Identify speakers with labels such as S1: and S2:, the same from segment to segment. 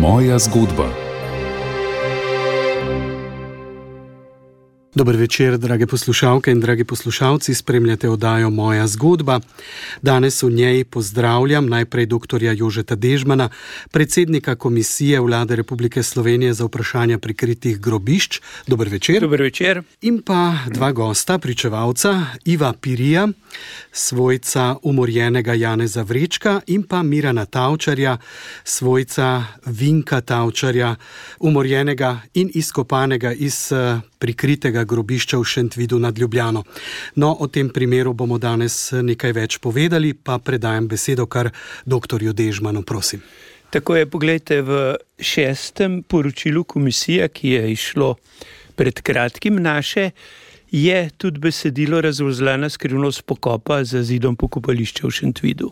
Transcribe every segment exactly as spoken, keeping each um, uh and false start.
S1: Moja zgodba.
S2: Dober večer, drage poslušalke in dragi poslušalci, spremljate oddajo Moja zgodba. Danes v njej pozdravljam najprej doktorja Jožeta Dežmana, predsednika Komisije Vlade Republike Slovenije za vprašanja prikritih grobišč. Dober večer.
S3: Dober večer.
S2: In pa dva gosta, pričevalca, Iva Pirija, svojca umorjenega Janeza Vrečka, in pa Mirana Tavčarja, svojca Vinka Tavčarja, umorjenega in izkopanega iz prikritega grobišča v Šentvidu nad Ljubljano. No, o tem primeru bomo danes nekaj več povedali, pa predajam besedo kar doktorju Dežmanu, prosim.
S3: Tako je, poglejte, v šestem poročilu komisije, ki je išlo pred kratkim naše, je tudi besedilo razvozlana skrivnost pokopa za zidom pokopališča v Šentvidu.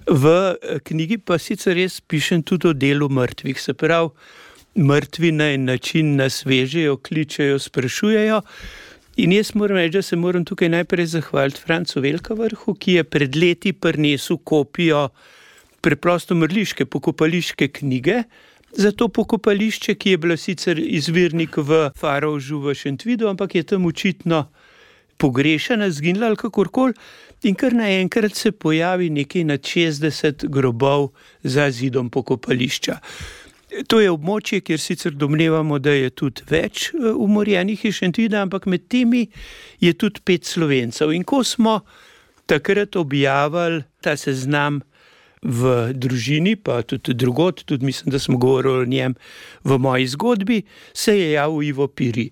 S3: V knjigi pa sicer res pišem tudi o delu mrtvih, se pravi, mrtvi na en način nas vežejo, kličejo, sprašujejo. In jaz moram reči, da se moram tukaj najprej zahvaliti Francu Velkavrhu, ki je pred leti prinesel kopijo preprosto mrliške pokopališke knjige za to pokopališče, ki je bila sicer izvirnik v Farovžu v Šentvidu, ampak je tam očitno pogrešana, zginila ali kakorkoli. In kar naenkrat se pojavi nekaj nad šestdeset grobov za zidom pokopališča. To je območje, kjer sicer domnevamo, da je tudi več umorjenih iz Šentvida, ampak med temi je tudi pet Slovencev. In ko smo takrat objavili ta seznam v družini, pa tudi drugod, tudi mislim, da smo govorili o njem v moji zgodbi, se je javil Ivo Piri.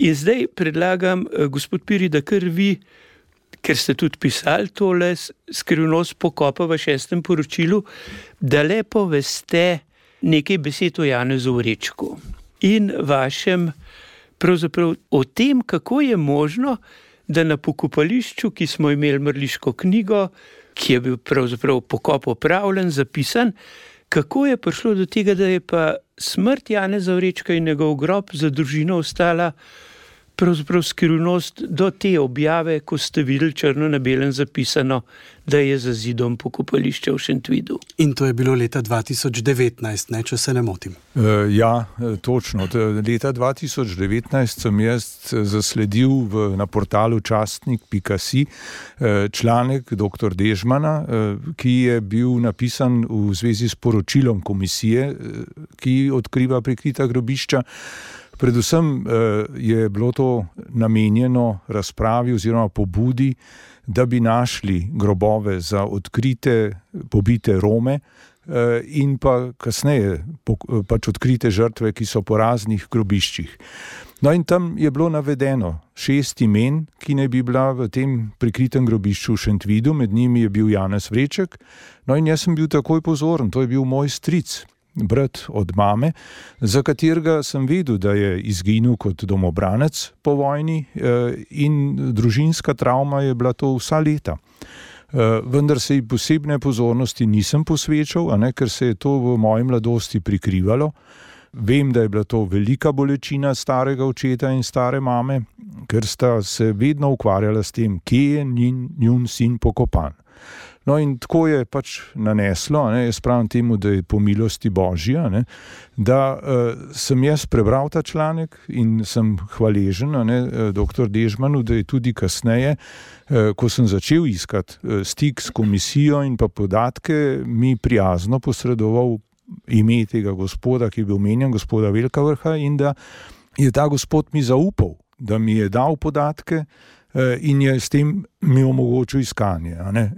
S3: In zdaj predlagam, gospod Piri, da kar vi, ker ste tudi pisali tole skrivnost pokopa v šestem poročilu, da lepo veste nekaj besed o Janezu Vrečku in vašem pravzaprav o tem, kako je možno, da na pokopališču, ki smo imeli mrliško knjigo, ki je bil pravzaprav pokop opravljen, zapisan, kako je prišlo do tega, da je pa smrt Janeza Vrečka in njegov grob za družino ostala pravzaprav skrivnost do te objave, ko ste videli črno na belem zapisano, da je za zidom pokopališča v Šentvidu.
S2: In to je bilo leta dva tisoč devetnajst, ne, če se ne motim.
S4: Uh, ja, točno. Leta dva tisoč devetnajst sem jaz zasledil v, na portalu častnik pika si članek doktor Dežmana, ki je bil napisan v zvezi s poročilom komisije, ki odkriva prikrita grobišča. Predvsem je bilo to namenjeno razpravi oziroma pobudi, da bi našli grobove za odkrite, pobite Rome in pa kasneje pač odkrite žrtve, ki so po raznih grobiščih. No in tam je bilo navedeno šest imen, ki naj bi bila v tem prikritem grobišču v Šentvidu, med njimi je bil Janez Vreček. No in jaz sem bil takoj pozoren, to je bil moj stric, brat od mame, za katerega sem vedel, da je izginil kot domobranec po vojni in družinska travma je bila to vsa leta. Vendar se ji posebne pozornosti nisem posvečal, a ne, ker se je to v moji mladosti prikrivalo. Vem, da je bila to velika bolečina starega očeta in stare mame, ker sta se vedno ukvarjala s tem, kje je njun, njun sin pokopan. No in tako je pač naneslo, ne, jaz pravim temu, da je po milosti Božja, ne, da uh, sem jaz prebral ta članek in sem hvaležen, ne, doktor Dežmanu, da je tudi kasneje, uh, ko sem začel iskati uh, stik s komisijo in pa podatke, mi prijazno posredoval ime tega gospoda, ki je bil omenjen, gospoda Velkavrha, in da je ta gospod mi zaupal, da mi je dal podatke in je s tem mi omogočil iskanje. A ne?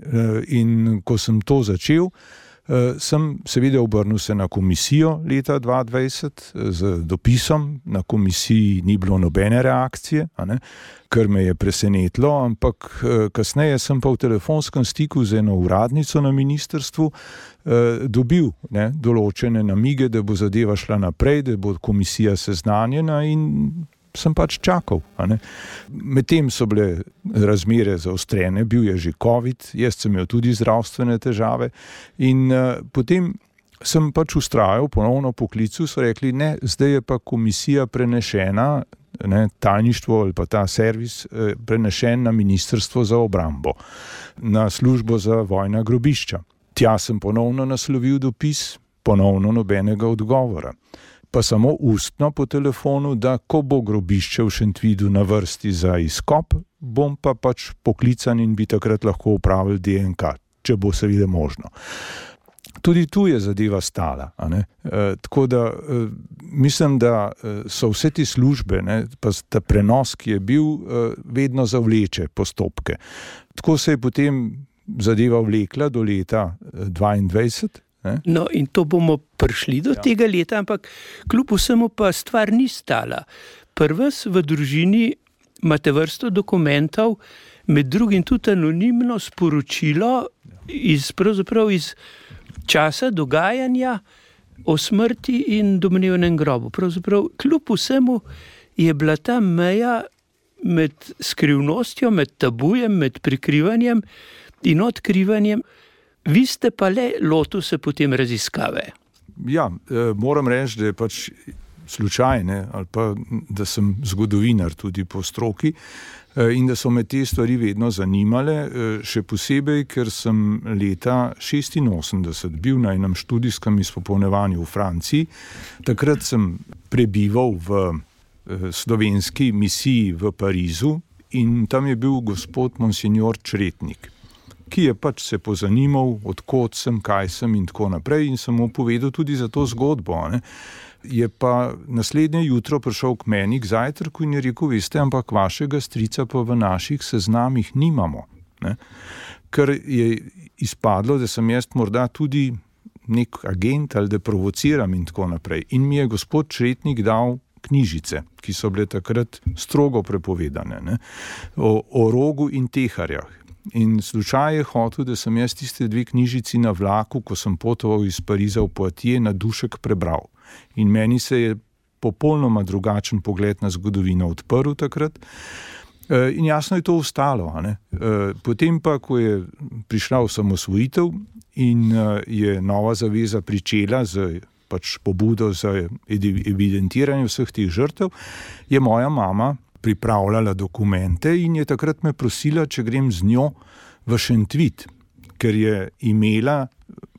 S4: In ko sem to začel, sem seveda obrnil se na komisijo leta dva tisoč dvajset z dopisom. Na komisiji ni bilo nobene reakcije, a ne? Kar me je presenetilo, ampak kasneje sem pa v telefonskem stiku z eno uradnico na ministrstvu dobil, ne, določene namige, da bo zadeva šla naprej, da bo komisija seznanjena, in sem pač čakal. Medtem so bile razmere zaostrene, bil je že COVID, jaz sem imel tudi zdravstvene težave in uh, potem sem pač ustrajal ponovno po klicu, so rekli, ne, zdaj je pa komisija prenešena, ne, tajništvo ali pa ta servis eh, prenešen na Ministrstvo za obrambo, na službo za vojna grobišča. Tja sem ponovno naslovil dopis, ponovno nobenega odgovora. Pa samo ustno po telefonu, da ko bo grobišče v Šentvidu na vrsti za izkop, bom pa pač poklican in bi takrat lahko upravil D N K, če bo seveda možno. Tudi tu je zadeva stala. A ne? E, tako da e, mislim, da so vse te službe, ne, pa ta prenos, ki je bil, e, vedno zavleče postopke. Tako se je potem zadeva vlekla do leta dvaindvajset. Ne?
S3: No, in to bomo prišli do ja. tega leta, ampak kljub vsemu pa stvar ni stala. Prvs v družini imate vrsto dokumentov, med drugim tudi anonimno sporočilo iz, pravzaprav iz časa dogajanja o smrti in domnevnem grobu. Pravzaprav kljub vsemu je bila ta meja med skrivnostjo, med tabujem, med prikrivanjem in odkrivanjem. Vi ste pa le lotil se potem raziskave.
S4: Ja, eh, moram reči, da je pač slučajne, ali pa da sem zgodovinar tudi po stroki eh, in da so me te stvari vedno zanimale, eh, še posebej, ker sem leta šestinosemdeset bil na enem študijskem izpopolnjevanju v Franciji. Takrat sem prebival v eh, slovenski misiji v Parizu in tam je bil gospod monsignor Čretnik, ki je pač se pozanimal, odkot sem, kaj sem in tako naprej, in sem mu povedal tudi za to zgodbo. Ne. Je pa naslednje jutro prišel k meni k zajtrku in je rekel, veste, ampak vašega strica pa v naših seznamih nimamo. Ne. Ker je izpadlo, da sem jaz morda tudi nek agent ali da provociram in tako naprej. In mi je gospod Čretnik dal knjižice, ki so bile takrat strogo prepovedane, ne, o, o Rogu in Teharjah. In slučaj je hotel, da sem jaz tiste dve knjižici na vlaku, ko sem potoval iz Pariza v Poitiers, na dušek prebral. In meni se je popolnoma drugačen pogled na zgodovino odprl takrat. In jasno je to ostalo. A ne? Potem pa, ko je prišla osamosvojitev in je Nova zaveza pričela z pač pobudo za evidentiranje vseh teh žrtev, je moja mama pripravljala dokumente in je takrat me prosila, če grem z njo v Šentvid, ker je imela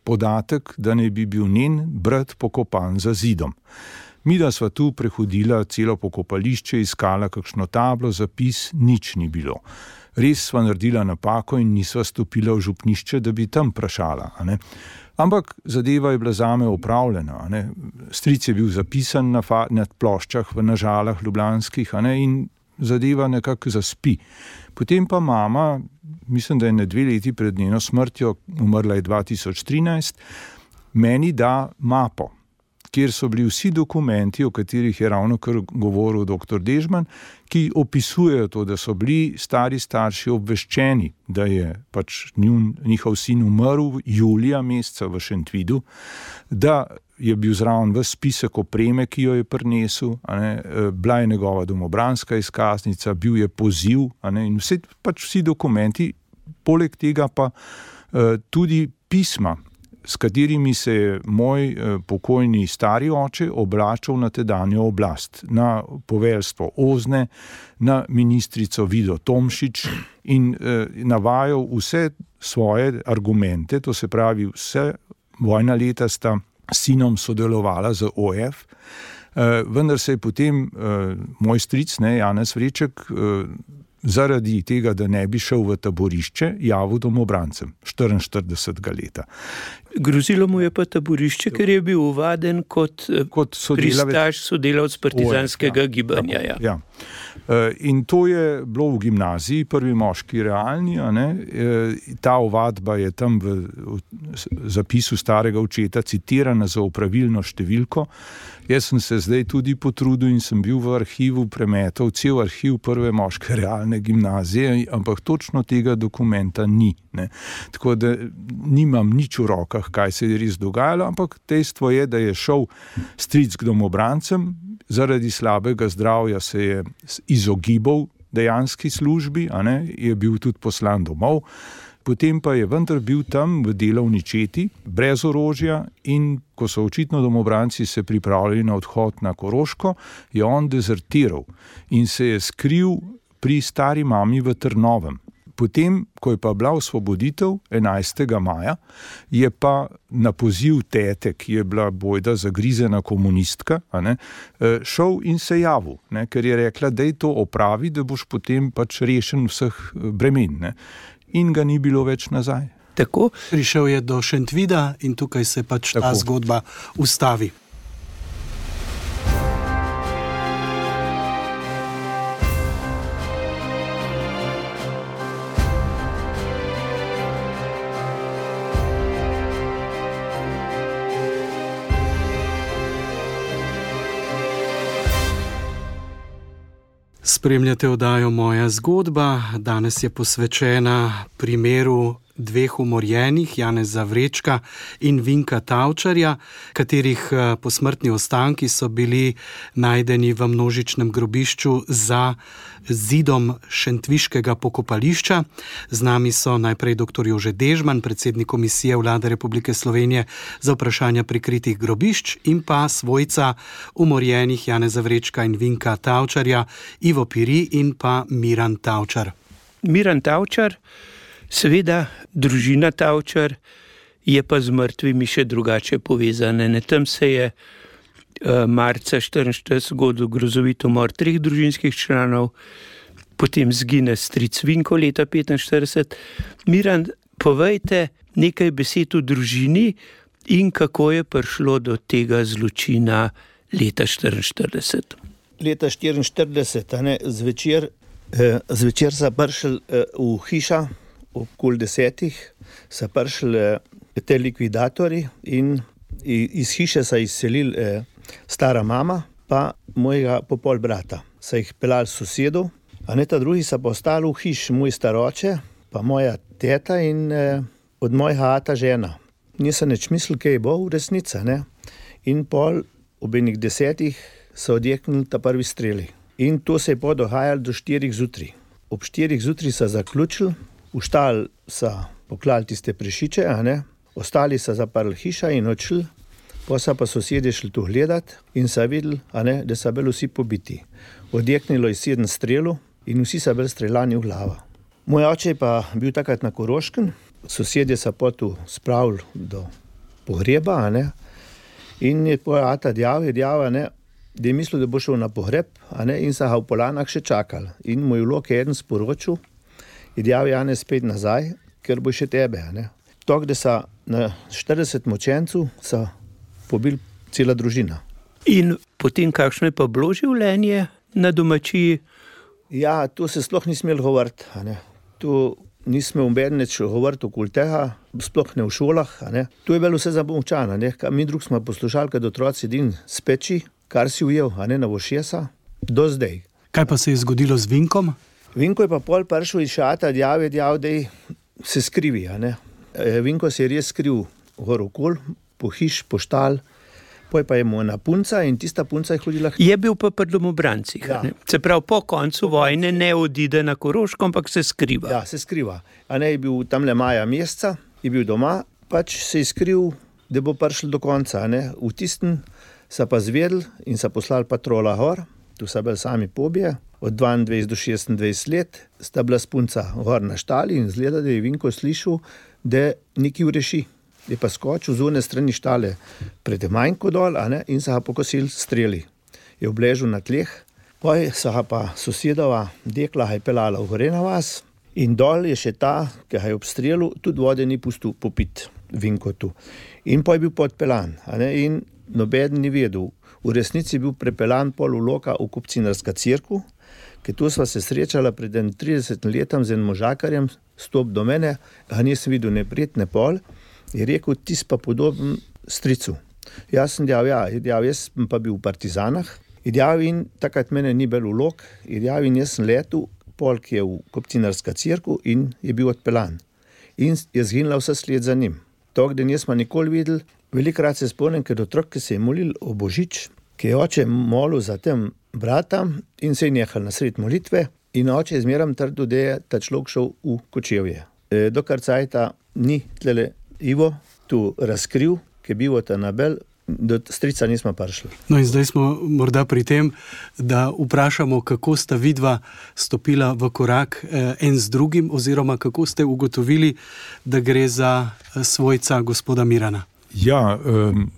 S4: podatek, da naj bi bil njen brat pokopan za zidom. Midva sva tu prehodila celo pokopališče, iskala kakšno tablo, zapis, nič ni bilo. Res sva naredila napako in nisva stopila v župnišče, da bi tam vprašala. A ne? Ampak zadeva je bila zame opravljena. A ne? Stric je bil zapisan na, fa- na ploščah v Nažalah ljubljanskih, a ne? In zadeva nekako zaspi. Potem pa mama, mislim, da je ne dve leti pred njeno smrtjo, umrla je dva tisoč trinajst, meni da mapo, kjer so bili vsi dokumenti, o katerih je ravno kar govoril doktor Dežman, ki opisujejo to, da so bili stari starši obveščeni, da je pač njun, njihov sin umrl julija meseca v Šentvidu, da je bil zraven ves spisek opreme, ki jo je prinesel, a ne, bila je njegova domobranska izkaznica, bil je poziv, a ne, in vse, pač vsi dokumenti, poleg tega pa uh, tudi pisma, s katerimi se je moj eh, pokojni stari oče obračal na tedanjo oblast, na poveljstvo Ozne, na ministrico Vido Tomšič in eh, navajal vse svoje argumente, to se pravi vse vojna leta sta s sinom sodelovala z O F, eh, vendar se je potem eh, moj stric, ne, Janez Vreček, eh, zaradi tega, da ne bi šel v taborišče, javil domobrancem štiriinštiridesetega leta.
S3: Grozilo mu je pa taborišče, ker je bil uvaden kot, kot pristaš sodelavc partizanskega
S4: ja,
S3: gibanja.
S4: Tako, ja. In to je bilo v gimnaziji, prvi moški realni, a ne? Ta ovadba je tam v, v zapisu starega očeta citirana za opravilno številko. Jaz sem se zdaj tudi potrudil in sem bil v arhivu premetal cel arhiv prve moške realne gimnazije, ampak točno tega dokumenta ni. Ne? Tako da nimam nič v rokah, kaj se je res dogajalo, ampak dejstvo je, da je šel stric k domobrancem, zaradi slabega zdravja se je izogibal dejanski službi, a ne? Je bil tudi poslan domov. Potem pa je vendar bil tam v delovni četi, brez orožja, in ko so očitno domobranci se pripravljali na odhod na Koroško, je on dezertiral in se je skril pri stari mami v Trnovem. Potem, ko je pa bila osvoboditev enajstega maja, je pa na poziv tete, ki je bila bojda zagrizena komunistka, a ne, šel in se javil, ne, ker je rekla, da je to opravi, da boš potem pač rešen vseh bremen. Ne. In ga ni bilo več nazaj.
S3: Tako?
S2: Prišel je do Šentvida in tukaj se pač Tako. ta zgodba ustavi. Spremljate oddajo Moja zgodba. Danes je posvečena primeru dveh umorjenih, Janeza Vrečka in Vinka Tavčarja, katerih posmrtni ostanki so bili najdeni v množičnem grobišču za zidom šentviškega pokopališča. Z nami so najprej doktor Jože Dežman, predsednik Komisije Vlade Republike Slovenije za vprašanja prikritih grobišč, in pa svojca umorjenih Janeza Vrečka in Vinka Tavčarja, Ivo Piri in pa Miran Tavčar.
S3: Miran Tavčar, seveda družina Tavčar, je pa z mrtvimi še drugače povezane. Ne, tam se je uh, marca štiriinštirideset zgodil grozovit umor treh družinskih članov, potem zgine stric Vinko leta petinštirideset. Miran, povejte nekaj besed o družini in kako je prišlo do tega zločina leta štiriinštirideset.
S1: Leta štiriinštirideset, a ne, zvečer, eh, zvečer so prišli eh, v hiša, okoli desetih, so prišli eh, te likvidatorji in iz hiše so izselili eh, stara mama pa mojega popol brata. So jih pelali sosedov, a ne, ta drugi so pa ostali v hiši, moj staroče, pa moja teta in eh, od mojega ata žena. Nisem nič mislil, kaj bo v resnici, ne. In pol ob enih desetih so odjeknili ta prvi streli. In to se je podogajalo do štirih zjutraj. Ob štirih zjutraj so zaključili, v štal so poklali tiste prešiče, a ne, ostali so zaprli hiša in odšli, pa so pa sosedje šli tu gledati in so videli, a ne, da so bili vsi pobiti. Odjeknilo je sedem strelov in vsi so bili streljani v glavo. Moj oče je pa bil takrat na Koroškem, sosedje so pa tu spravili do pogreba, a ne, in je tvoj ata djav, je djav, a ne, da je mislil, da bo šel na pogreb, a ne, in so ga v Polanah še čakali. In moj vlog je eden sporočil, je djav Janez spet nazaj, ker bo še tebe, a ne. Tok, da so na štirideset močencev so pobili cela družina.
S3: In potem kakšno je pa bilo življenje na domačiji?
S1: Ja, to se sploh ni smel govoriti, a ne. To nismo umbedneč govoriti okoli tega, sploh ne v šolah, a ne. To je bilo vse zamolčano, ne. Mi drug smo poslušali, kad otroci din speči, kar si ujel, a ne, na vošesa, do zdaj.
S2: Kaj pa se je zgodilo z Vinkom?
S1: Vinko je pa pol prišel iz šata, djav je djav, da se skrivi, a ne. Vinko se je res skriv gor okol, po hiš, po štal, poj pa je mu ena punca in tista punca je hodila...
S3: Je bil pa pri domobrancih,
S1: ja.
S3: Ne? Se pravi, po koncu vojne ne odide na Koroško, ampak se skriva.
S1: Ja, se skriva. A ne, je bil tamle maja meseca, je bil doma, pač se je skriv, da bo prišel do konca, a ne. V tistem so pa zvedeli in so poslali patrola gor, tu so bili sami pobije, od dvaindvajset do šestindvajset let, sta bila spunca gor na štali in zgleda, da je Vinko slišal, da nekaj ureši. Je pa skočil z one strani štale pred manjko dol, a ne, in so ga pokosili streli. Je obležal na tleh, poj so ga pa sosedova dekla ga je pelala v gore na vas in dol je še ta, ki ga je obstrelil, tudi vode ni pustil popit Vinko tu. In poj je bil podpelan, a ne, in nobeden ni vedel. V resnici je bil prepelan pol v Loka v Kopcinarska cerkev, ker tu sva se srečala pred tridesetim letom z enim možakarjem, stop do mene, ga nisem videl ne pred, ne pol, je rekel, ti si pa podoben stricu. Jaz sem djav, ja, djav, jaz sem pa bil v partizanah, djav, in takrat mene ni bil v Lok, djav, in jaz sem letel, pol, ki je v Kopcinarska cerkev in je bil odpelan. In je zginila vse sled za njim. Tok, da nismo nikoli videli, velikrat se spomnim, ker otrok, ki se je molil o Božič, ki je oče molil za tem bratam in se je nehal na sred molitve in oče je zmeram trdil, da je ta človek šel v Kočevje. Dokar cajta ni tlele Ivo tu razkril, ki je bil ta nabel, do strica nismo prišli.
S2: No in zdaj smo morda pri tem, da vprašamo, kako sta vidva stopila v korak en z drugim, oziroma kako ste ugotovili, da gre za svojca gospoda Mirana.
S4: Ja, um,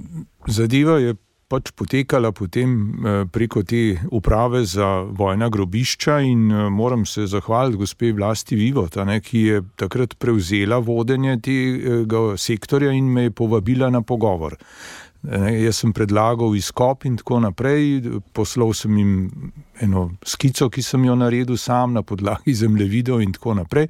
S4: zadeva je pač potekala potem preko te uprave za vojna grobišča in moram se zahvaliti gospe Vlasti Vivot, ne, ki je takrat prevzela vodenje tega sektorja in me je povabila na pogovor. Ne, jaz sem predlagal izkop in tako naprej, poslal sem jim eno skico, ki sem jo naredil sam na podlagi zemljevidov in tako naprej.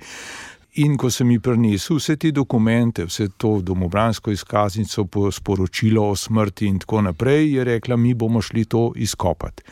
S4: In ko sem ji prinesel vse te dokumente, vse to domobransko izkaznico, sporočilo o smrti in tako naprej, je rekla, mi bomo šli to izkopati.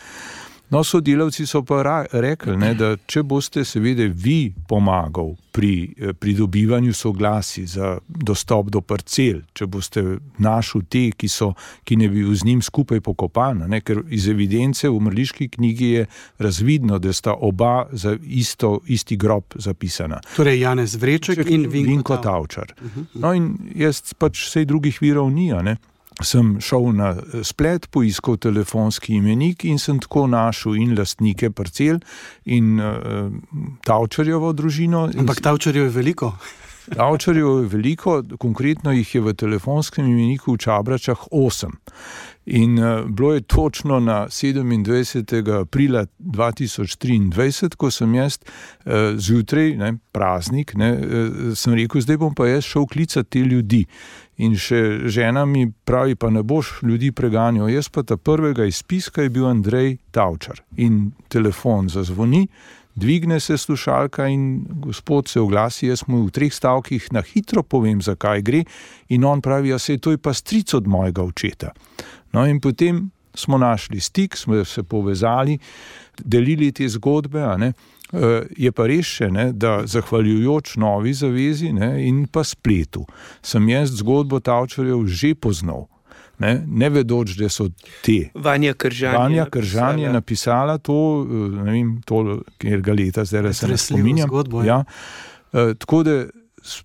S4: No, sodelavci so pa rekli, ne, da če boste seveda vi pomagal pri pridobivanju soglasij za dostop do parcel, če boste našli te, ki so, ki ne bi z njim skupaj pokopana, ne, ker iz evidence v mrliški knjigi je razvidno, da sta oba za isto, isti grob zapisana.
S2: Torej Janez Vreček Ček, in Vinko,
S4: Vinko Tavčar. No in jaz pač vsej drugih virov ni, ne. Sem šel na splet, poiskal telefonski imenik in sem tako našel in lastnike parcel in uh, Tavčarjevo družino.
S2: Ampak Tavčarjev je veliko?
S4: Tavčarjev je veliko, konkretno jih je v telefonskem imeniku v Čabračah osem. In uh, bilo je točno na sedemindvajsetega aprila dva tisoč triindvajset, ko sem jaz uh, zjutraj, ne, praznik, ne, uh, sem rekel, zdaj bom pa jaz šel klicati te ljudi. In še žena mi pravi, pa ne boš ljudi preganjal, jaz pa ta prvega izpiska je bil Andrej Tavčar. In telefon zazvoni, dvigne se slušalka in gospod se oglasi, jaz mu v treh stavkih na hitro povem, zakaj gre, in on pravi, ja se to je pa stric od mojega očeta. No in potem smo našli stik, smo se povezali, delili te zgodbe, a ne. Je pa res še, ne, da zahvaljujoč Novi zavezi, ne, in pa spletu sem jaz zgodbo Tavčarjev že poznal, ne, ne vedoč, da so te.
S3: Vanja Kržan,
S4: Vanja Kržan je napisala to, ne vem, to, kjer ga leta, zdaj se ne spominjam.
S2: Zgodbo,
S4: ja. E, tako da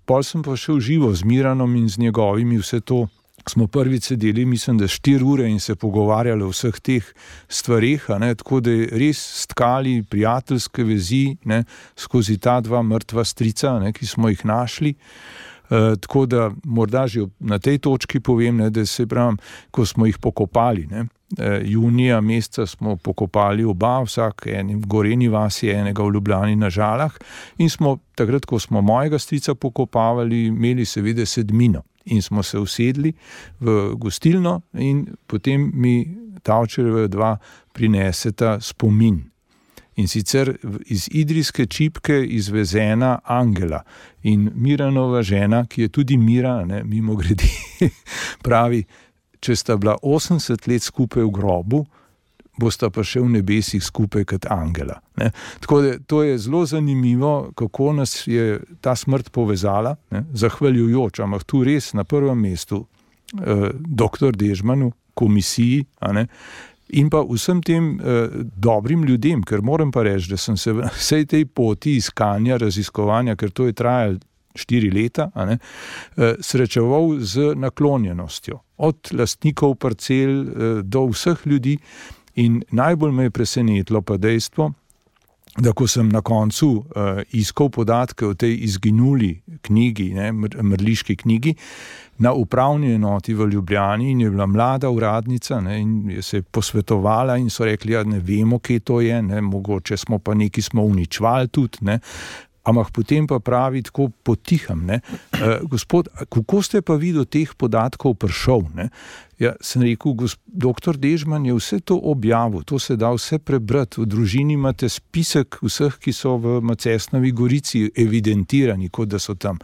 S4: pol sem pa šel živo z Miranom in z njegovimi vse to. Smo prvič sedeli, mislim, da štiri ure in se pogovarjali o vseh teh stvareh, ne, tako da je res stkali prijateljske vezi, ne, skozi ta dva mrtva strica, ne, ki smo jih našli. E, tako da morda že na tej točki povem, ne, da se pravim, ko smo jih pokopali, ne, e, junija meseca smo pokopali oba, vsak enim Goreni vasi, enega v Ljubljani na Žalah, in smo takrat, ko smo mojega strica pokopavali, imeli seveda sedmino. In smo se usedli v gostilno in potem mi Tavčarjeva dva prineseta spomin. In sicer iz idrijske čipke izvezena angela. In Miranova žena, ki je tudi Mira, ne, mimo grede, pravi, če sta bila osemdeset let skupaj v grobu, bosta pa še v nebesih skupaj kot angela. Ne. Tako da to je zelo zanimivo, kako nas je ta smrt povezala, ne, zahvaljujoč, ampak tu res na prvem mestu eh, doktor Dežmanu, komisiji, a ne, in pa vsem tem eh, dobrim ljudem, ker moram pa reči, da sem se v vsej tej poti iskanja, raziskovanja, ker to je trajalo štiri leta, a ne, eh, srečeval z naklonjenostjo. Od lastnikov parcel eh, do vseh ljudi. In najbolj me je presenetilo pa dejstvo, da ko sem na koncu uh, iskal podatke o tej izginuli knjigi, ne, mrliški knjigi, na upravni enoti v Ljubljani, in je bila mlada uradnica, ne, in je se posvetovala in so rekli, ja, ne vemo, kje to je, ne, mogoče smo pa neki smo uničvali tudi, ne. Ampak potem pa pravi tako potiham, ne, e, gospod, kako ste pa vi do teh podatkov prišel, ne? Ja, sem rekel, gosp, doktor Dežman je vse to objavil, to se da vse prebrati, v družini imate spisek vseh, ki so v Macesnovi Gorici evidentirani, kot da so tam.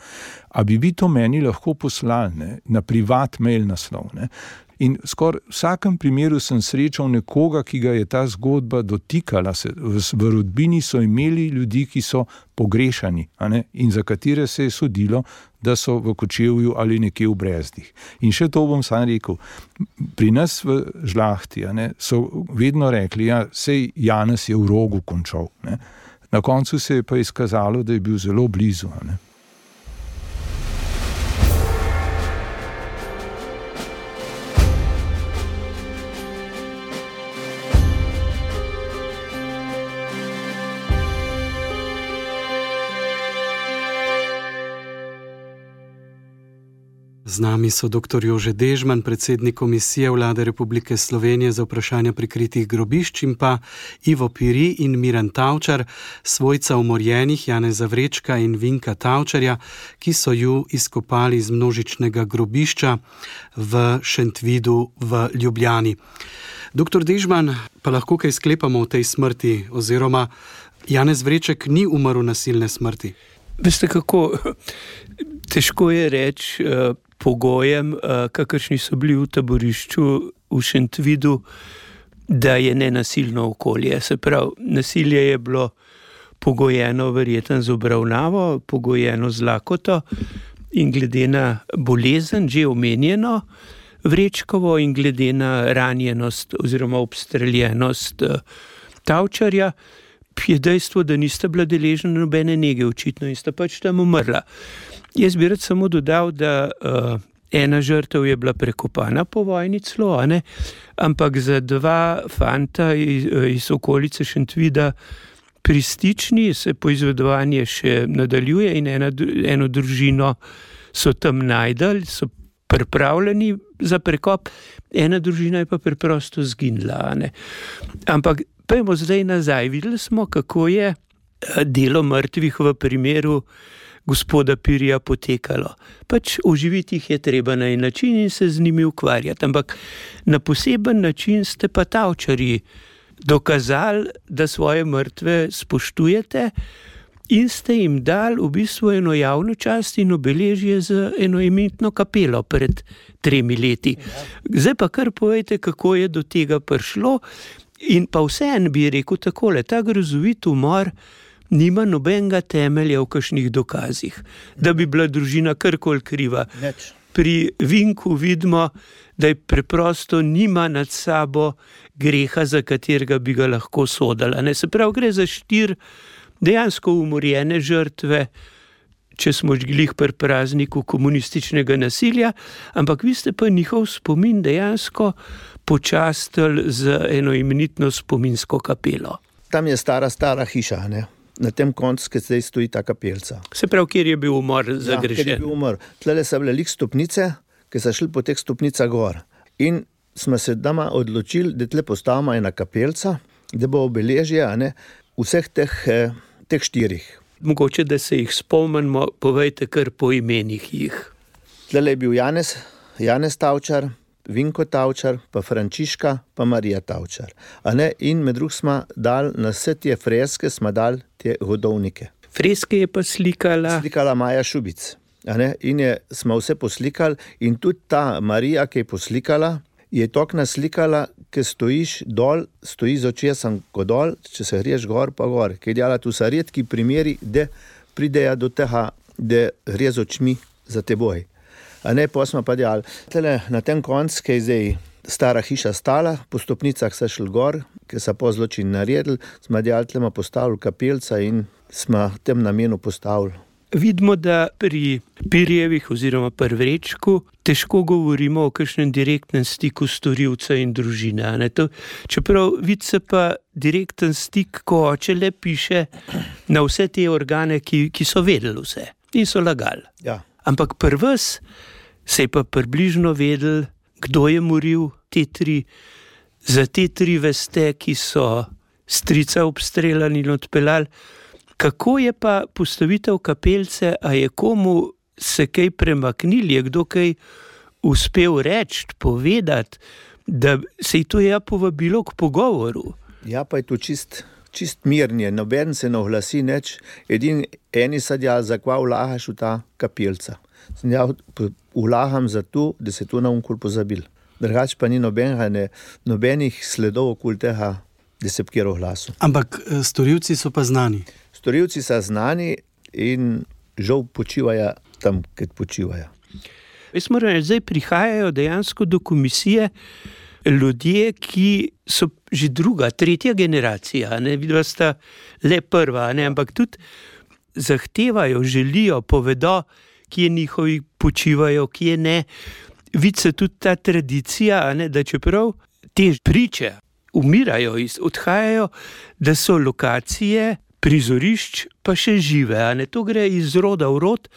S4: A bi vi to meni lahko poslali, ne, na privat mail naslov, ne? In skoraj v vsakem primeru sem srečal nekoga, ki ga je ta zgodba dotikala. Se, v, v rodbini so imeli ljudi, ki so pogrešani, a ne, in za katere se je sodilo, da so v Kočevju ali nekje v Brezdih. In še to bom sam rekel, pri nas v Žlahti, a ne, so vedno rekli, ja, sej Janez je v Rogu končal, ne. Na koncu se je pa izkazalo, da je bil zelo blizu, a ne.
S2: Z nami so doktor Jože Dežman, predsednik Komisije Vlade Republike Slovenije za vprašanja prikritih grobišč, in pa Ivo Piri in Miran Tavčar, svojca umorjenih Janeza Vrečka in Vinka Tavčarja, ki so ju izkopali iz množičnega grobišča v Šentvidu v Ljubljani. Doktor Dežman, pa lahko kaj sklepamo o tej smrti, oziroma Janez Vreček ni umrl nasilne smrti?
S3: Veste kako, težko je reči uh, pogojem, uh, kakršni so bili v taborišču v Šentvidu, da je nenasilno okolje. Se pravi, nasilje je bilo pogojeno verjetno z obravnavo, pogojeno z lakoto in glede na bolezen, že omenjeno Vrečkovo, in glede na ranjenost oziroma obstreljenost uh, Tavčarja, je dejstvo, da nista bila deležna nobene nege očitno in sta pač tam umrla. Jaz bi rad samo dodal, da uh, ena žrtev je bila prekopana po vojni celo, a ne? Ampak za dva fanta iz, iz okolice Šentvida pri Stični se poizvedovanje še nadaljuje in ena, eno družino so tam najdali, so pripravljeni za prekop, ena družina je pa preprosto zginila, a ne? Ampak pojmo zdaj nazaj. Videli smo, kako je delo mrtvih v primeru gospoda Pirija potekalo. Pač oživiti jih je treba na en način in se z njimi ukvarjati. Ampak na poseben način ste pa Tavčarji dokazali, da svoje mrtve spoštujete in ste jim dali v bistvu eno javno čast in obeležje z eno imenitno kapelo pred tremi leti. Zdaj pa kar povejte, kako je do tega prišlo. In pa vseeno bi rekel takole, ta grozovit umor nima nobenega temelja v kakšnih dokazih, da bi bila družina karkoli kriva.
S1: Neč.
S3: Pri Vinku vidimo, da je preprosto nima nad sabo greha, za katerega bi ga lahko sodala. Ne, se pravi, gre za štiri dejansko umorjene žrtve, če smo glih pri prazniku komunističnega nasilja, ampak vi ste pa njihov spomin dejansko počastili z eno imenitno spominsko kapelo.
S1: Tam je stara, stara hiša, ne? Na tem koncu, ki zdaj stoji ta kapelca.
S3: Se pravi, kjer je bil umor zagrešen.
S1: Ja, kjer je bil umor. Tlele so bile lik stopnice, ki so šli po teh stopnicah gor. In smo se doma odločili, da tle postavimo ena kapelca, da bo obeležje, a ne, vseh teh, eh, teh štirih.
S3: Mogoče, da se jih spomnimo, povejte kar po imenih jih.
S1: Tlele je bil Janez, Janez Tavčar, Vinko Tavčar, pa Frančiška, pa Marija Tavčar. A ne? In med drugim smo dali na vse te freske, smo dali te hodovnike.
S3: Freske je pa slikala...
S1: Slikala Maja Šubic. A ne? In je, smo vse poslikali in tudi ta Marija, ki je poslikala, je tok naslikala, ki stojiš dol, stoji z očesom ko dol, če se greš gor pa gor. Kaj dela, tu so redki primeri, da pridejo do tega, da gre z očmi za teboj. A ne, pa smo pa delali. Tele, na tem koncu, ki je zdaj stara hiša stala, po stopnicah so šli gor, ki so po zločin naredili, smo delali, tlema postavili kapelca in smo tem namenu postavili.
S3: Vidimo, da pri Pirjevih oziroma pri Vrečku težko govorimo o kakšnem direktnem stiku storilca in družine. Ne? To, čeprav vidi se pa direkten stik, ko oče le piše na vse te organe, ki, ki so vedeli vse in so lagali.
S1: Ja.
S3: Ampak pri vas se je pa približno vedel, kdo je moril te tri. Za te tri veste, ki so strica obstreljali in odpeljali. Kako je pa postavitev kapelce, a je komu se kaj premaknili, je kdo kaj uspel reči, povedati, da se je to ja povabilo k pogovoru?
S1: Ja, pa je to čist, čist mirnje, noben se ne oglasi neč, edin eni sadja, zakva vlagaš v ta kapelca. Sem ja vlagam za to, da se to na unkul pozabil. Drugač pa ni nobenega, ne, nobenih sledov okul tega, da se kjer oglasil.
S2: Ampak storilci so pa znani.
S1: Storilci so znani in žal počivajo tam, kjer počivajo.
S3: Jaz moram reči, zdaj prihajajo dejansko do komisije ljudje, ki so že druga, tretja generacija, ne, vidva sta le prva, ne, ampak tudi zahtevajo, želijo, povedo, kje njihovi počivajo, kje ne. Vidi se tudi ta tradicija, ne, da čeprav te priče umirajo, odhajajo, da so lokacije prizorišč pa še žive. A ne, to gre iz roda v rod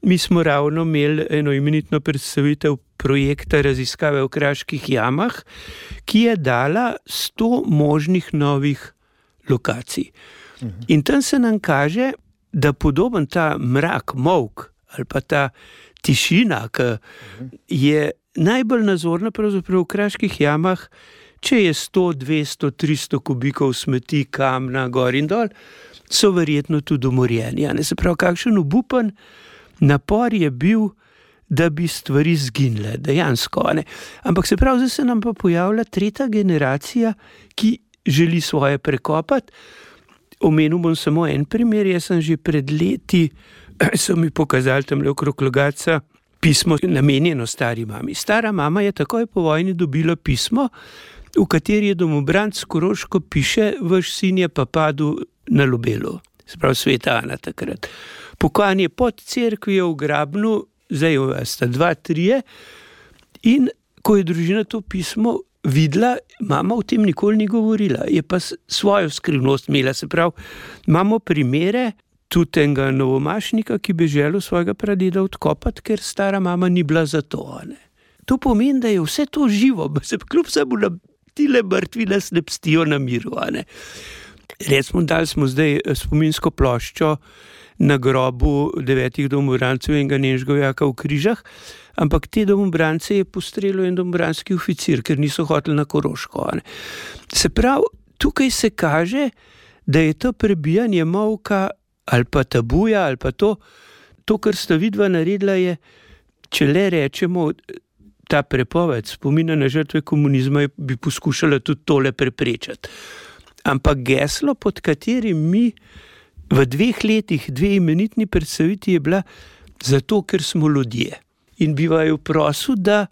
S3: Mi smo ravno imeli eno imenitno predstavitev projekta raziskave v Kraških jamah, ki je dala sto možnih novih lokacij. In tam se nam kaže, da podoben ta mrak, molk ali pa ta tišina, ki je najbolj nazorna pravzaprav v Kraških jamah, če je sto, dvesto, tristo kubikov smeti, kamna, gor in dol, so verjetno tudi umorjeni. Ne, se pravi, kakšen obupen napor je bil, da bi stvari zginile, dejansko. Ne. Ampak se pravi, zdaj se nam pa pojavlja tretja generacija, ki želi svoje prekopati. Omenil bom samo en primer, jaz sem že pred leti, so mi pokazali tamle okrog Logatca pismo namenjeno stari mami. Stara mama je takoj po vojni dobila pismo, v kateri je domobranc Koroško piše, vaš sin je pa padel na Lubelu, se pravi Sveta Ana takrat. Pokojan je pod cerkvijo v Grabnu, zdaj sta dva, trije, in ko je družina to pismo videla, mama o tem nikoli ni govorila, je pa svojo skrivnost imela, se pravi, imamo primere tudi enega novomašnika, ki bi želel svojega pradeda odkopati, ker stara mama ni bila za to. Ne. To pomeni, da je vse to živo, se kljub samo na tile mrtvi nas ne pstijo na miru. Ne. Recimo, dali smo zdaj spominsko ploščo na grobu devetih domobrancev in enega nemškega vojaka v Križah, ampak te domobrance je postrelil en domobranski oficir, ker niso hoteli na Koroško. Ne. Se pravi, tukaj se kaže, da je to prebijanje molka ali pa tabuja, ali pa to, to, kar sta vidva naredila, je, če le rečemo, ta prepoved spomina na žrtve komunizma bi poskušala tudi tole preprečati. Ampak geslo, pod katerim mi v dveh letih, dve imenitni predstaviti, je bila zato, ker smo ljudje. In bi vaju prosil, da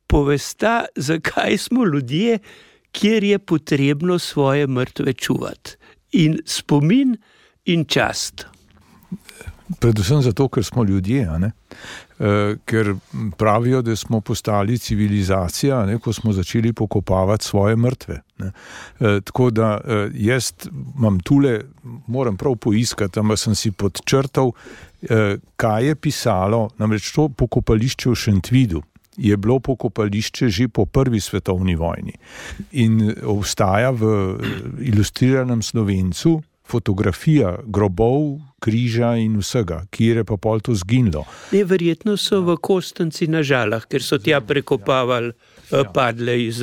S3: povesta, zakaj smo ljudje, kjer je potrebno svoje mrtve čuvati. In spomin in čast.
S4: Predvsem zato, ker smo ljudje, a ne? E, ker pravijo, da smo postali civilizacija, ne? Ko smo začeli pokopavati svoje mrtve. Ne? E, tako da e, jaz imam tule, moram prav poiskati, ampak sem si podčrtal, e, kaj je pisalo, namreč to pokopališče v Šentvidu je bilo pokopališče že po prvi svetovni vojni in obstaja v ilustriranem Slovencu fotografija grobov, križa in vsega, kjer je pa pol to zginilo.
S3: Ne, verjetno so v Kostanci na Žalah, ker so tja prekopavali ja. padle iz,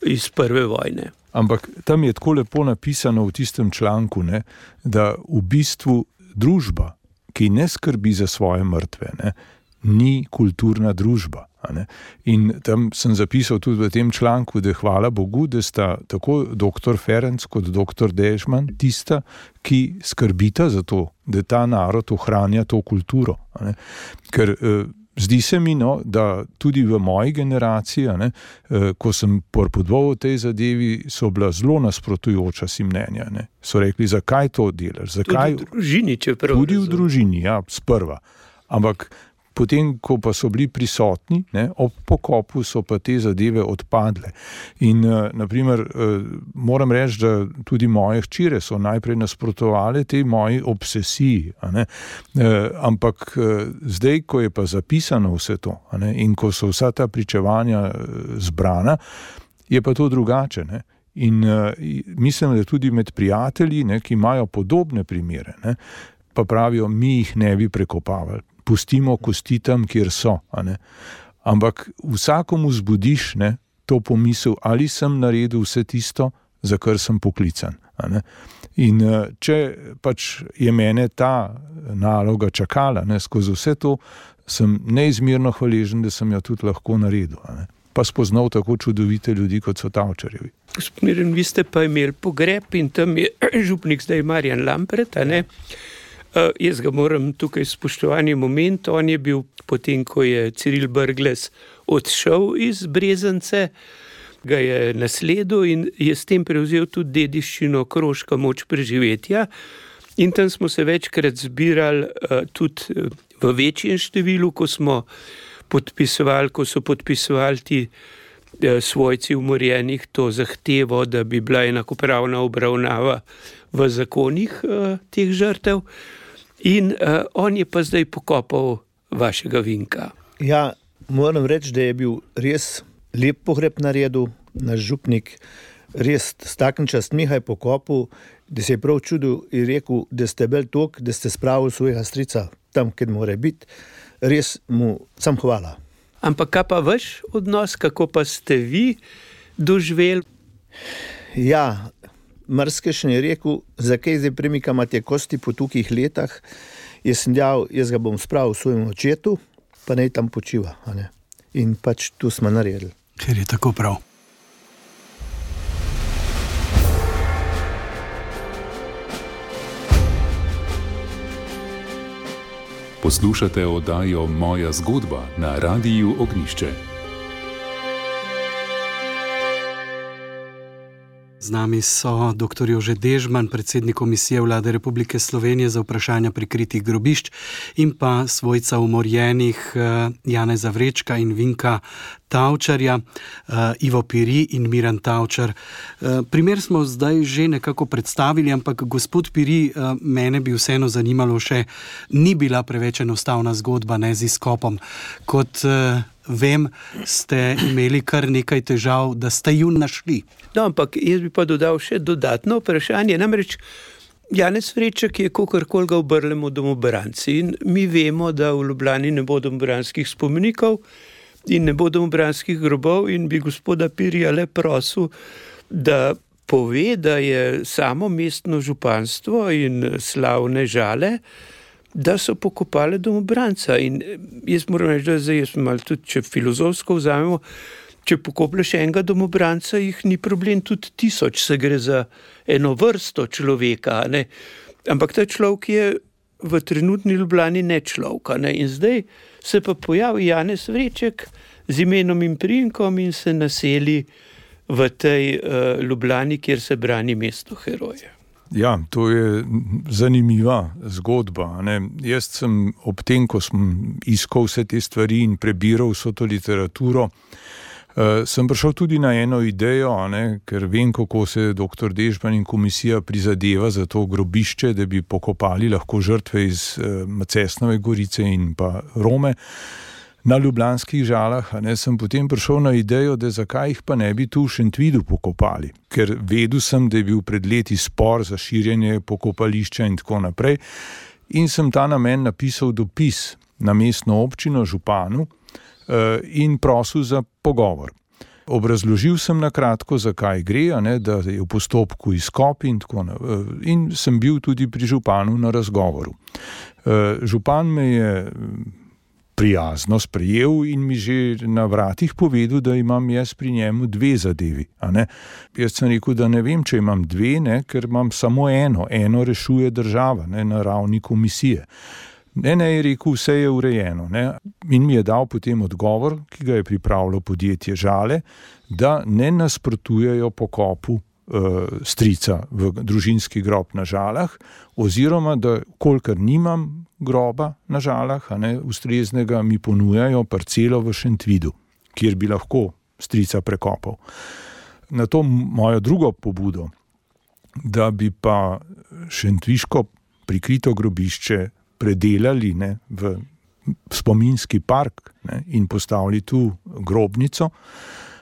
S3: iz prve vojne.
S4: Ampak tam je tako lepo napisano v tistem članku, ne, da v bistvu družba, ki ne skrbi za svoje mrtve, ne, ni kulturna družba. In tam sem zapisal tudi v tem članku, da hvala Bogu, da sta tako doktor Ferenc kot doktor Dežman tista, ki skrbita za to, da ta narod ohranja to kulturo. Ne? Ker eh, zdi se mi, no, da tudi v moji generaciji, ne, eh, ko sem porpodoval v tej zadevi, so bila zelo nasprotujoča si mnenja. Ne? So rekli, zakaj to delaš? Zakaj?
S3: Tudi v družini, čeprav.
S4: Tudi v družini, ja, sprva. Ampak potem, ko pa so bili prisotni, ne, ob pokopu so pa te zadeve odpadle. In uh, naprimer, uh, moram reči, da tudi moje hčere so najprej nasprotovale tej moji obsesiji. A ne? Uh, ampak uh, zdaj, ko je pa zapisano vse to, a ne, in ko so vsa ta pričevanja uh, zbrana, je pa to drugače. Ne? In uh, mislim, da tudi med prijatelji, ne, ki imajo podobne primere, ne, pa pravijo, mi jih ne bi prekopavali. Pustimo kosti tam, kjer so. A ne? Ampak vsakomu zbudiš, ne, to pomisel, ali sem naredil vse tisto, za kar sem poklican. A ne? In če pač je mene ta naloga čakala, ne, skozi vse to, sem neizmerno hvaležen, da sem jo tudi lahko naredil. A ne? Pa spoznal tako čudovite ljudi, kot so Tavčarjevi.
S3: Gospod Miren, vi ste pa imeli pogreb in tam je župnik zdaj Marjan Lampret, a ne? Uh, jaz ga moram tukaj spoštovani moment, on je bil potem, ko je Ciril Brglez odšel iz Brezance, ga je nasledil in je s tem prevzel tudi dediščino Koroška moč preživetja in tam smo se večkrat zbirali uh, tudi v večjem številu, ko smo podpisovali, ko so podpisovali ti uh, svojci umorjenih to zahtevo, da bi bila enakopravna obravnava v zakonih uh, teh žrtev. In uh, on je pa zdaj pokopal vašega Vinka.
S1: Ja, moram reči, da je bil res lep pogreb naredil, naš župnik, res s takim častmihaj pokopil, da se je prav čudil in rekel, da ste bili tok, da ste spravili svojega strica tam, kjer mora biti. Res mu sam hvala.
S3: Ampak kaj pa vaš odnos, kako pa ste vi doživeli?
S1: Ja, marsikajšen je rekel, zakaj zdaj premikama te kosti po tukih letah. Jaz sem dejal, jaz ga bom spravil svojemu očetu, pa naj tam počiva. A ne? In pač tu smo naredili.
S2: Ker je tako prav.
S5: Poslušate oddajo Moja zgodba na Radiu Ognjišče.
S2: Z nami so doktor Jože Dežman, predsednik Komisije Vlade Republike Slovenije za vprašanja prikritih grobišč in pa svojca umorjenih Janeza Vrečka in Vinka Tavčarja, Ivo Piri in Miran Tavčar. Primer smo zdaj že nekako predstavili, ampak gospod Piri, mene bi vseeno zanimalo še, ni bila preveč enostavna zgodba, ne z izkopom. Kot vem, ste imeli kar nekaj težav, da ste ju našli.
S3: No, ampak jaz bi pa dodal še dodatno vprašanje. Namreč Janez Vreček je kakorkoli ga obrnemo domobranci in mi vemo, da v Ljubljani ne bo domobranskih spomenikov in ne bo domobranskih grobov in bi gospoda Pirija le prosil, da pove, da je samo mestno županstvo in slavne Žale, da so pokopale domobranca. In jaz moram reči, da zdaj jaz malo tudi, če filozofsko vzamemo, če pokopleš enega domobranca, jih ni problem tudi tisoč, se gre za eno vrsto človeka, ne? Ampak ta človek je v trenutni Ljubljani ne človeka, ne? In zdaj se pa pojavi Janez Vreček z imenom in priimkom in se naseli v tej uh, Ljubljani, kjer se brani mesto heroja.
S4: Ja, to je zanimiva zgodba. Ne? Jaz sem ob tem, ko sem iskal vse te stvari in prebiral vso to literaturo, uh, sem prišel tudi na eno idejo, ne? Ker vem, kako se doktor Dežman in komisija prizadeva za to grobišče, da bi pokopali lahko žrtve iz uh, Macesnove Gorice in pa Rome na ljubljanskih Žalah, a ne, sem potem prišel na idejo, da zakaj jih pa ne bi tu v Šentvidu pokopali. Ker vedel sem, da je bil pred leti spor za širjenje pokopališča in tako naprej. In sem ta namen napisal dopis na mestno občino, županu uh, in prosil za pogovor. Obrazložil sem na kratko, zakaj gre, a ne, da je v postopku izkop in tako naprej. Uh, in sem bil tudi pri županu na razgovoru. Uh, župan me je prijazno sprejel in mi že na vratih povedal, da imam jaz pri njemu dve zadevi. A ne? Jaz sem rekel, da ne vem, če imam dve, ne, ker imam samo eno. Eno rešuje država, ne, na ravni komisije. Ne, ne, je rekel, vse je urejeno. Ne. In mi je dal potem odgovor, ki ga je pripravilo podjetje Žale, da ne nasprotujejo pokopu uh, strica v družinski grob na Žalah, oziroma da, kolikor nimam groba na Žalah, a ne, ustreznega, mi ponujajo parcelo v Šentvidu, kjer bi lahko strica prekopal. Na to mojo drugo pobudo, da bi pa šentviško prikrito grobišče predelali, ne, v spominski park, ne, in postavili tu grobnico,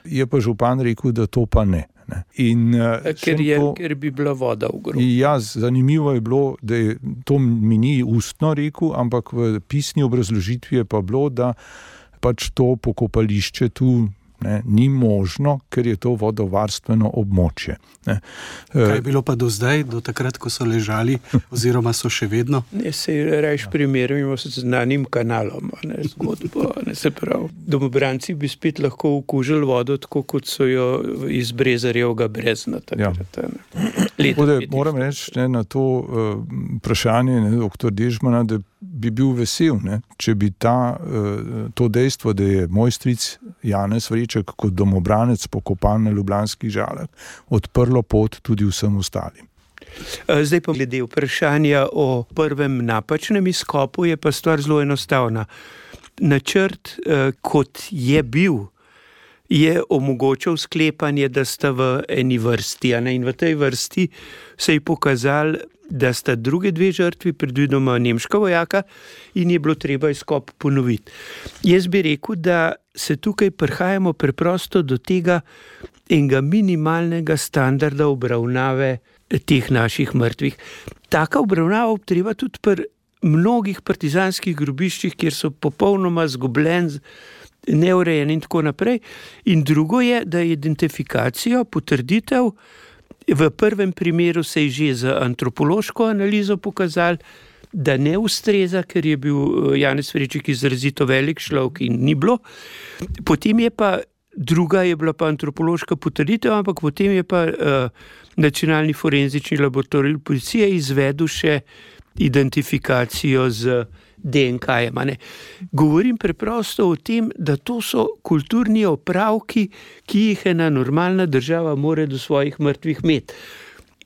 S4: je pa župan rekel, da to pa ne. In,
S3: ker, je, to, ker bi bila voda v grobu.
S4: Ja, zanimivo je bilo, da je to mi ni ustno rekel, ampak v pisni obrazložitvi je pa bilo, da pač to pokopališče tu, ne, ni možno, ker je to vodovarstveno območje. Ne.
S2: Kaj je bilo pa do zdaj, do takrat, ko so ležali, oziroma so še vedno?
S3: Ne, se rejš primerjamo s znanim kanalom, ne, zgodbo, ne, se pravi. Domobranci bi spet lahko okužili vodo, tako kot so jo iz Brezarjevega brezna takrat. Ja.
S4: Da, moram reči, ne, na to uh, vprašanje, ne, doktor Dežmana, da bi bil vesel, ne, če bi ta, uh, to dejstvo, da je moj stric Janez Vreček kot domobranec pokopan na ljubljanskih Žalah, odprlo pot tudi vsem ostalim.
S3: Zdaj pa glede vprašanja o prvem napačnem izkopu, je pa stvar zelo enostavna. Načrt, kot je bil, je omogočal sklepanje, da sta v eni vrsti, a ne? In v tej vrsti se je pokazal da sta druge dve žrtvi, predvidoma nemška vojaka, in je bilo treba izkop ponoviti. Jaz bi rekel, da se tukaj prihajamo preprosto do tega enega minimalnega standarda obravnave teh naših mrtvih. Taka obravnava treba tudi pri mnogih partizanskih grobiščih, kjer so popolnoma zgubljeni, neurejeni in tako naprej. In drugo je, da je identifikacijo, potrditev, v prvem primeru se je že z antropološko analizo pokazali, da ne ustreza, ker je bil Janez Vreček izrazito velik človek in ni bilo. Potem je pa druga je bila pa antropološka potrditev, ampak potem je pa uh, Nacionalni forenzični laboratorij policije izvedel še identifikacijo z D N K-jem. Govorim preprosto o tem, da to so kulturni opravki, ki jih ena normalna država mora do svojih mrtvih imeti.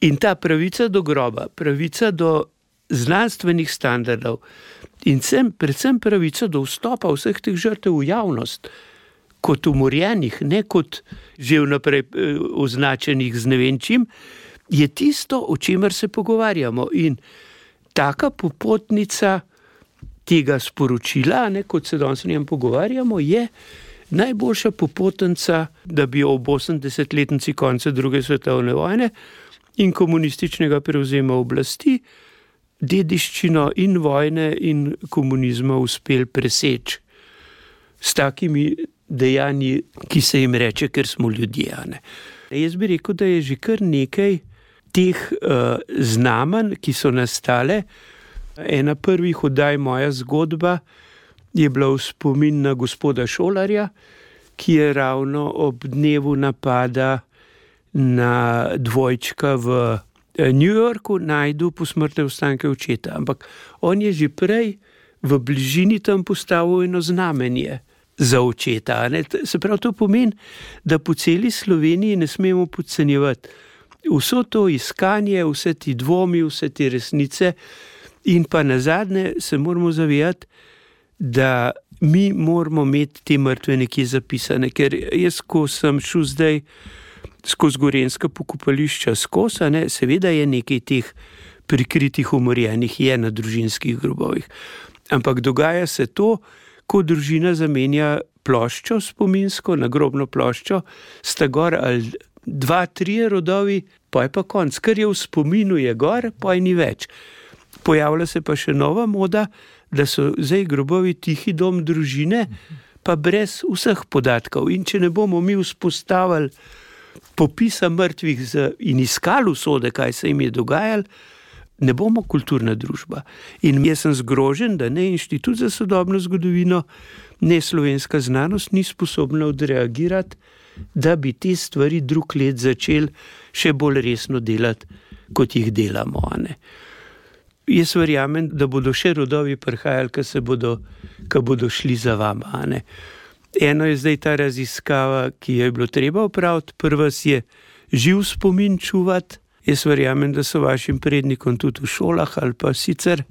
S3: In ta pravica do groba, pravica do znanstvenih standardov in sem, predvsem pravica do vstopa vseh teh žrtev v javnost, kot umorjenih, ne kot že vnaprej označenih z ne vem čim, je tisto, o čemer se pogovarjamo. In taka popotnica tega sporočila, ne, kot se danes o njem pogovarjamo, je najboljša popotnica, da bi ob osemdesetletnici konca druge svetovne vojne in komunističnega prevzema oblasti dediščino in vojne in komunizma uspeli preseči s takimi dejanji, ki se jim reče, ker smo ljudje. Ne. Jaz bi rekel, da je že kar nekaj teh uh, znamenj, ki so nastale. Ena prvih oddaj Moja zgodba je bila v spomin na gospoda Šolarja, ki je ravno ob dnevu napada na dvojčka v New Yorku najdel posmrtne ostanke očeta. Ampak on je že prej v bližini tam postavil eno znamenje za očeta. Ne? Se pravi, to pomeni, da po celi Sloveniji ne smemo podcenjevati vso to iskanje, vse ti dvomi, vse te resnice. In pa nazadnje se moramo zavedati, da mi moramo imeti te mrtve nekje zapisane, ker jaz, ko sem šel zdaj skozi gorenjska pokopališča skozi, ne, seveda je nekaj teh prikritih umorjenih je na družinskih grobovih. Ampak dogaja se to, ko družina zamenja ploščo spominsko, nagrobno ploščo, sta gor ali dva, trije rodovi, pa je pa konc. Kar je v spominu je gor, pa je ni več. Pojavlja se pa še nova moda, da so zdaj grobovi tihi dom družine, pa brez vseh podatkov. In če ne bomo mi vzpostavili popisa mrtvih in iskali usode, kaj se jim je dogajalo, ne bomo kulturna družba. In jaz sem zgrožen, da ne Inštitut za sodobno zgodovino, ne slovenska znanost ni sposobna odreagirati, da bi te stvari drug let začeli še bolj resno delati, kot jih delamo. Ne? Jaz verjamem, da bodo še rodovi prihajali, ko se bodo, ko bodo šli za vama. Ne? Eno je zdaj ta raziskava, ki je bilo treba opraviti. Prva je živ spomin čuvati. Jaz verjamem, da so vašim prednikom tudi v šolah ali pa sicer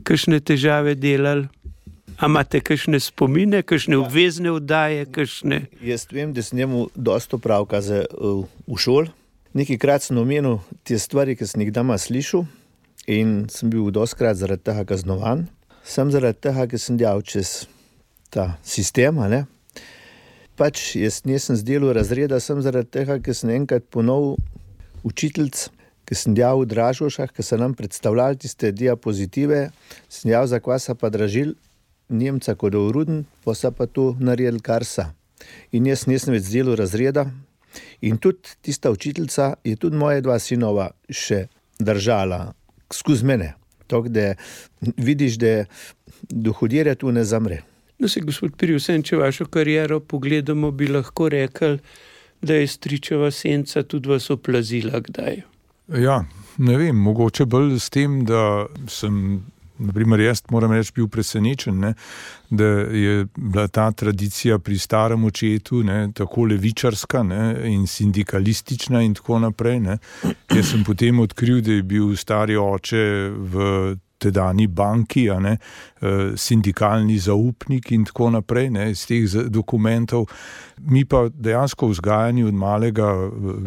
S3: kakšne težave delali. A imate kakšne spomine, kakšne obvezne oddaje, kakšne?
S1: Jaz vem, da sem njemu dosto pravka za, uh, v šol. Nekajkrat sem omenil te stvari, ki sem jih doma slišal in sem bil dostkrat zaradi tega kaznovan. Sem zaradi tega, ker sem delal čez ta sistem, ne? Pač jaz nisem zdelal razreda, sem zaradi tega, ker sem enkrat ponovil učiteljc, ki sem delal v Dražgošah, ki so nam predstavljali tiste diapozitive, sem delal za kvasa pa dražil Nemca kot Ruden, pa so pa to naredili kar sa. In jaz nisem več zdelal razreda in tudi tista učiteljca je tudi moje dva sinova še držala skozi mene. Tako da vidiš, da dohodjerja tu ne zamre.
S3: No se, gospod Pirjusen, če vašo kariero pogledamo, bi lahko rekli, da je stričeva senca tudi vas oplazila kdaj?
S4: Ja, ne vem, mogoče bolj s tem, da sem, naprimer jaz moram reči, bil presenečen, ne, da je bila ta tradicija pri starem očetu, ne, tako levičarska, ne, in sindikalistična in tako naprej. Ne. Jaz sem potem odkril, da je bil stari oče v tedajni banki, a ne, sindikalni zaupnik in tako naprej, ne, iz teh dokumentov. Mi pa dejansko vzgajani od malega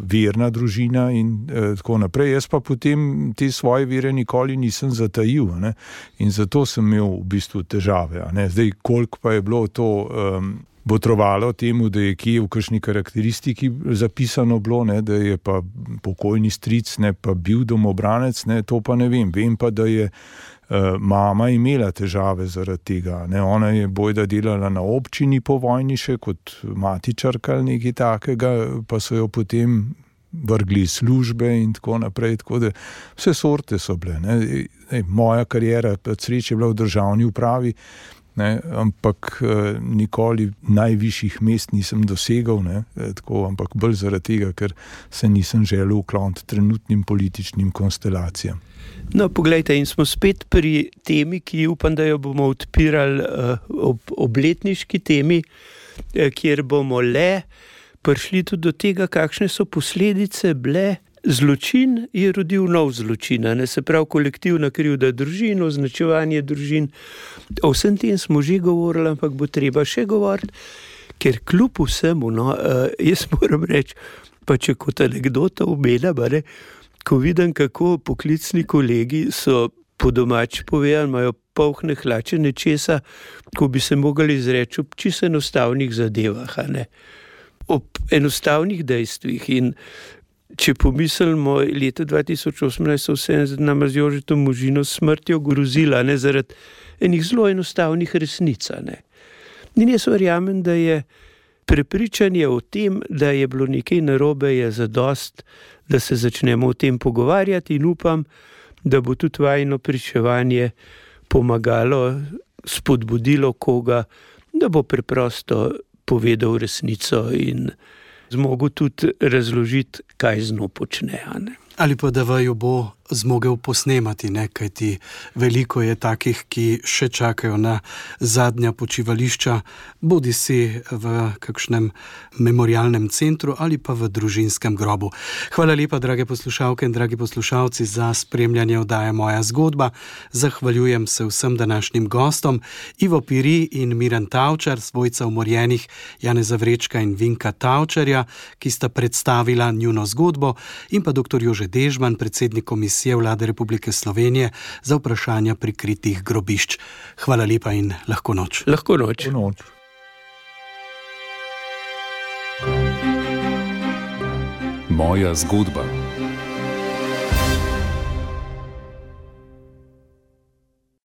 S4: verna družina in eh, tako naprej. Jaz pa potem te svoje vere nikoli nisem zatajil, ne, in zato sem imel v bistvu težave, a ne. Zdaj, koliko pa je bilo to um, botrovalo temu, da je kje v kakšni karakteristiki zapisano bilo, ne, da je pa pokojni stric, ne, pa bil domobranec, ne, to pa ne vem. Vem pa, da je uh, mama imela težave zaradi tega, ne. Ona je bojda delala na občini po vojni še kot matičarka ali nekaj takega, pa so jo potem vrgli iz službe in tako naprej, tako da vse sorte so bile, ne. Ej, moja karijera pa sreče je bila v državni upravi, ne, ampak eh, nikoli najvišjih mest nisem dosegal, ne, tako, ampak bolj zaradi tega, ker se nisem želel ukloniti trenutnim političnim konstelacijam.
S3: No, poglejte, in smo spet pri temi, ki upam, da jo bomo odpirali uh, ob obletniški temi, uh, kjer bomo le prišli tudi do tega, kakšne so posledice bile. Zločin je rodil nov zločin, ne, se pravi kolektivna krivda družin, označevanje družin. O vsem tem smo že govorili, ampak bo treba še govoriti, ker kljub vsemu, no, uh, jaz moram reči, pa če kot anekdota omenjam, ne, ko vidim, kako poklicni kolegi so po domač povedali, imajo polhne hlače nečesa, ko bi se mogli izreči ob čisto enostavnih zadevah, a ne, ob enostavnih dejstvih. In če pomislimo, leta dva tisoč osemnajst so vse nam z Jožetom Možino smrtjo grozila, ne, zaradi enih zelo enostavnih resnic, ne. In jaz verjamem, da je prepričanje o tem, da je bilo nekaj narobe, je zadost, da se začnemo o tem pogovarjati, in upam, da bo tudi vajino pričevanje pomagalo, spodbudilo koga, da bo preprosto povedal resnico in zmogel tudi razložiti, kaj z njo počne, a ne.
S2: Ali pa da vaju bo zmogel posnemati, ne, kajti veliko je takih, ki še čakajo na zadnja počivališča, bodi si v kakšnem memorialnem centru ali pa v družinskem grobu. Hvala lepa, drage poslušalke in dragi poslušalci, za spremljanje oddaje Moja zgodba. Zahvaljujem se vsem današnjim gostom, Ivo Piri in Miran Tavčar, svojca umorjenih Janeza Vrečka in Vinka Tavčarja, ki sta predstavila njuno zgodbo, in pa doktor Jože Dežman, predsednik komisije Vlade Republike Slovenije za vprašanja prikritih grobišč. Hvala lepa in lahko noč.
S3: Lahko noč.
S4: Lahko noč.
S5: Moja zgodba.